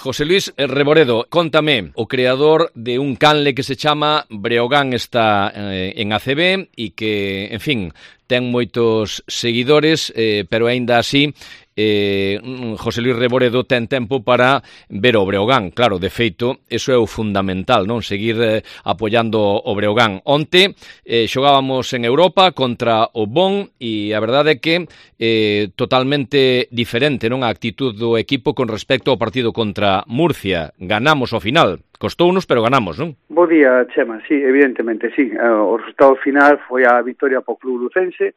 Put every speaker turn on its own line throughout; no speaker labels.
José Luis Reboredo, contame, o creador de un canle que se chama Breogán está en ACB e que, en fin, ten moitos seguidores, pero aínda así José Luis Reboredo ten tempo para ver o Breogán. Claro, de feito, eso é o fundamental, non? Seguir apoiando o Breogán. Onte xogábamos en Europa contra o Bon e a verdade é que totalmente diferente, non? A actitud do equipo con respecto ao partido contra Murcia. Ganamos ao final. Costounos, pero ganamos, non?
Bo día, Chema. Sí, evidentemente, sí. O resultado final foi a victoria po club lucense,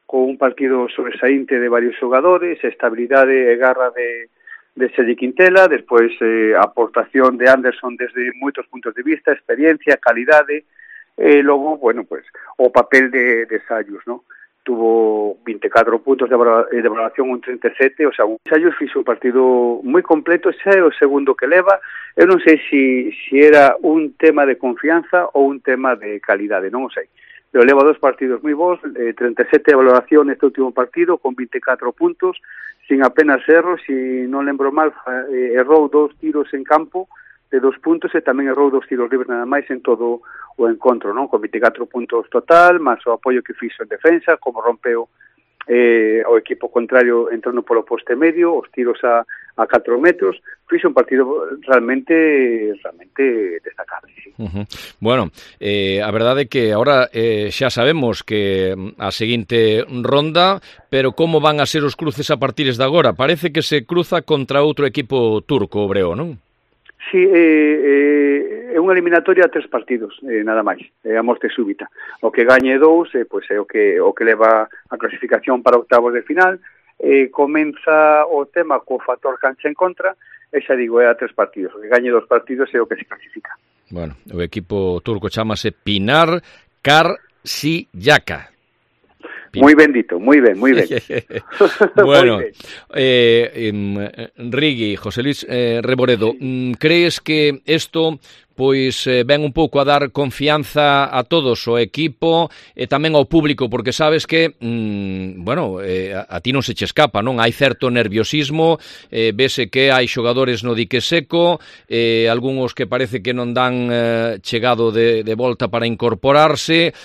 con un partido sobresaínte de varios xogadores, estabilidade e garra de Sergi Quintela, despois a aportación de Anderson desde moitos puntos de vista, experiencia, calidade, e logo, bueno, pues, o papel de Sayus, ¿no? Tuvo 24 puntos de valoración, un 37, o sea, Sayus fixo un partido moi completo, xa é o segundo que leva. Eu non sei si era un tema de confianza ou un tema de calidade, non o sei. Pero leva 2 partidos moi bons, 37 de valoración neste último partido, con 24 puntos, sin apenas erros, si non lembro mal, errou 2 tiros en campo de 2 puntos e tamén errou 2 tiros libres nada máis en todo o encontro, non? Con 24 puntos total, máis o apoio que fixo en defensa, como rompeu o equipo contrario entrando polo poste medio, os tiros a 4 metros, fixo un partido realmente destacable, sí.
Bueno, a verdade é que agora xa sabemos que a seguinte ronda, pero como van a ser os cruces a partir de agora? Parece que se cruza contra outro equipo turco, o Breo, non?
Sí, é unha eliminatoria a 3 partidos, nada máis, a morte súbita. O que gañe 2, pois é o que leva a clasificación para octavos de final. Comeza o tema co factor cancha en contra, e xa digo, é a 3 partidos. O que gañe 2 partidos é o que se clasifica.
Bueno, o equipo turco chamase Pinar Karsiyaka.
Moi ben dito, moi ben.
Bueno, Rigui, José Luis Reboredo, crees que isto pois ven un pouco a dar confianza a todos, o equipo e tamén ao público, porque sabes que, a ti non se che escapa, non? Hai certo nerviosismo, vese que hai xogadores no dique seco, algúns que parece que non dan chegado de volta para incorporarse,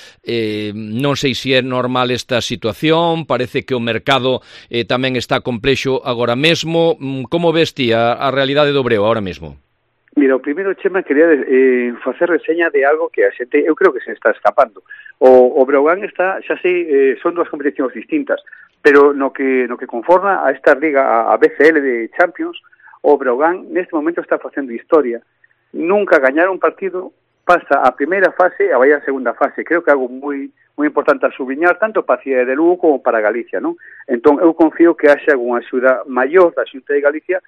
non sei se é normal esta situación, parece que o mercado tamén está complexo agora mesmo. Como ves ti a realidade do Breo agora mesmo?
Mira, o primeiro, Chema, quería facer reseña de algo que a xente, eu creo que se está escapando. O Breogán está, xa sei, son 2 competicións distintas, pero no que conforma a esta liga, a BCL de Champions, o Breogán neste momento está facendo historia. Nunca gañar un partido, pasa a primeira fase e vai a segunda fase. Creo que é algo moi importante a subliñar, tanto para a Cidade de Lugo como para Galicia, non? Entón, eu confío que haxa algunha axuda maior da Xunta de Galicia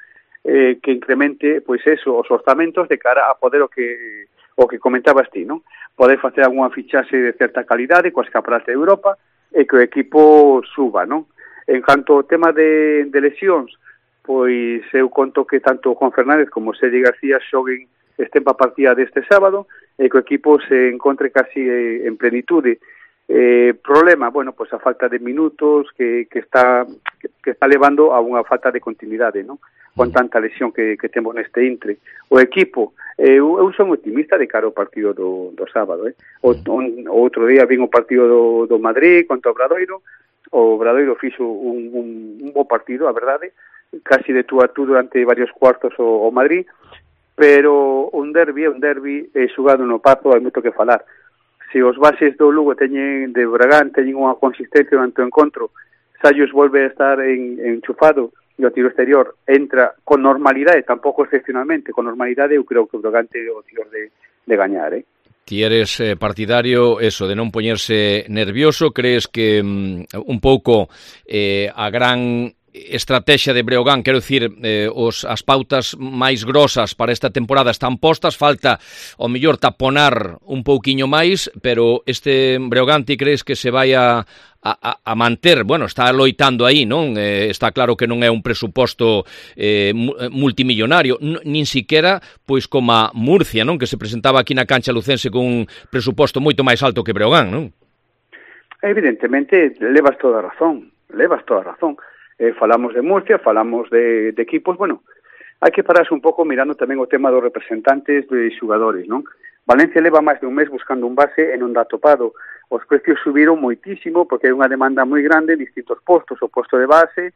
que incremente, pois eso, os orzamentos de cara a poder o que comentabas ti, non? Poder facer algunha fichaxe de certa calidade coas campeonatos de Europa e que o equipo suba, non? En canto ao tema de lesións, pois eu conto que tanto Juan Fernández como Sergi García xoguen estén para a partida deste sábado e que o equipo se encontre casi en plenitude. Problema, bueno, pois a falta de minutos que está levando a unha falta de continuidade, non? Con tanta lesión que temos neste intre. O equipo, eu son optimista de cara ao partido do sábado. O outro día vin o partido do Madrid contra o Obradoiro fixo un bo partido, a verdade, casi de tú a tú durante varios cuartos o Madrid, pero un derbi xugado no Pazo, hai moito que falar. Se os bases do Lugo de Bragán teñen unha consistencia durante o encontro, Sayus volve a estar enchufado e o tiro exterior entra con normalidade, tampouco excepcionalmente, con normalidade, eu creo que o Bragán ten o tiro de gañar,
Ti eres partidario eso de non poñerse nervioso, crees que un pouco a gran estrategia de Breogán, quero dicir, as pautas máis grosas para esta temporada están postas, falta ao mellor taponar un pouquiño máis, pero este Breogán ti crees que se vai a manter, bueno, está loitando aí, non? Está claro que non é un presuposto multimillonario, nin siquiera pois como a Murcia, non? Que se presentaba aquí na cancha lucense con un presuposto moito máis alto que Breogán, non?
Evidentemente, levas toda a razón. Falamos de Murcia, falamos de equipos, bueno, hai que pararse un pouco mirando tamén o tema dos representantes de xogadores, non? Valencia leva máis de un mes buscando un base e non dá topado. Os precios subiron moitísimo porque hai unha demanda moi grande en distintos postos, o posto de base,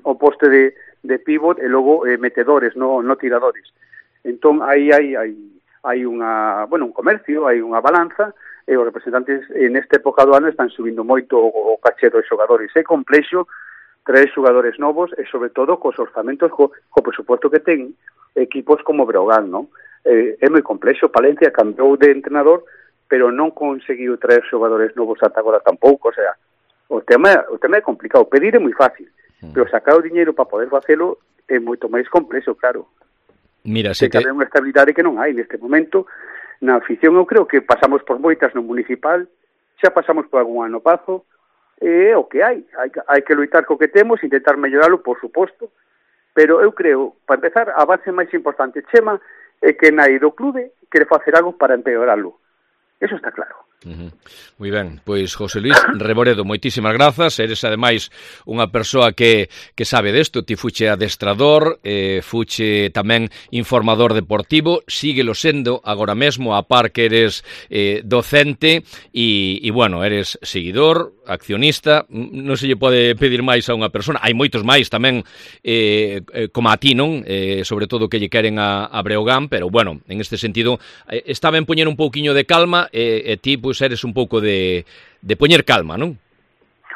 o posto de pivot e logo metedores, no tiradores. Entón, aí hai un comercio, hai unha balanza, e os representantes nesta época do ano están subindo moito o caché dos xogadores. É complexo traer xogadores novos e, sobre todo, cos orzamentos, co presupuesto que ten equipos como Breogán, non? É moi complexo. Palencia cambiou de entrenador, pero non conseguiu traer xogadores novos ata agora tampouco. O sea, o tema é complicado. Pedir é moi fácil, pero sacar o diñeiro para poder facelo é moito máis complexo, claro.
Mira,
que hai unha estabilidade que non hai neste momento. Na afición eu creo que pasamos por moitas no municipal, xa pasamos por algún ano pazo, é o que hai que loitar co que temos, intentar melloralo, por suposto, pero eu creo, para empezar, a base máis importante, Chema, é que nai do clube quere facer algo para empeoralo. Eso está claro.
Moi ben, pois José Luis Reboredo, moitísimas grazas. Eres ademais unha persoa que sabe desto. Ti fuche adestrador, fuche tamén informador deportivo, síguelo sendo agora mesmo, a par que eres docente e bueno, eres seguidor, accionista. Non se lle pode pedir máis a unha persona. Hai moitos máis tamén como a ti, non? Sobre todo que lle queren a Breogán, pero bueno, en este sentido está ben poñer un pouquiño de calma e ti pois eres un pouco de poñer calma, non?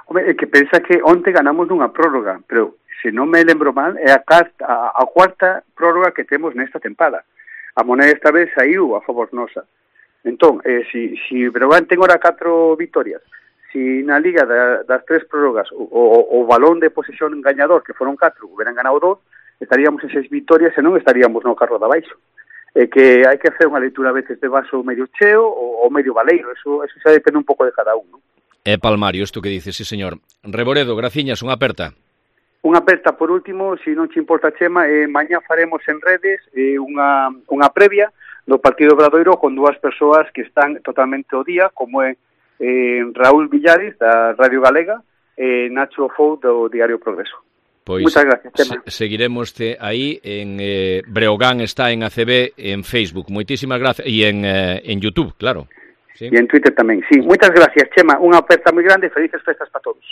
Home, é que pensa que onte ganamos nunha prórroga, pero se non me lembro mal, é a cuarta prórroga que temos nesta tempada. A moneda esta vez saiu a favor nosa. Entón, si Breogán ten ora 4 vitorias, si na Liga das 3 prórrogas o balón de posesión gañador, que foron 4, hubieran ganado 2, estaríamos en 6 vitorias e non estaríamos no carro de abaixo. Que hai que hacer unha leitura a veces de vaso medio cheo ou medio baleiro, eso xa depende un pouco de cada un, non?
É palmario isto que dices, sí señor. Reboredo, graciñas, unha aperta.
Unha aperta por último, se non te importa, Chema, mañá faremos en redes unha previa do partido Obradoiro con 2 persoas que están totalmente ao día, como é Raúl Villares, da Radio Galega, e Nacho Fou, do Diario Progreso.
Pois
muchas gracias, Chema.
Seguiremos-te aí en Breogán está en ACB en Facebook. Moitísimas gracias e en YouTube, claro.
¿Sí? E en Twitter tamén, sí. Muchas gracias, Chema. Unha aperta moi grande e felices festas para todos.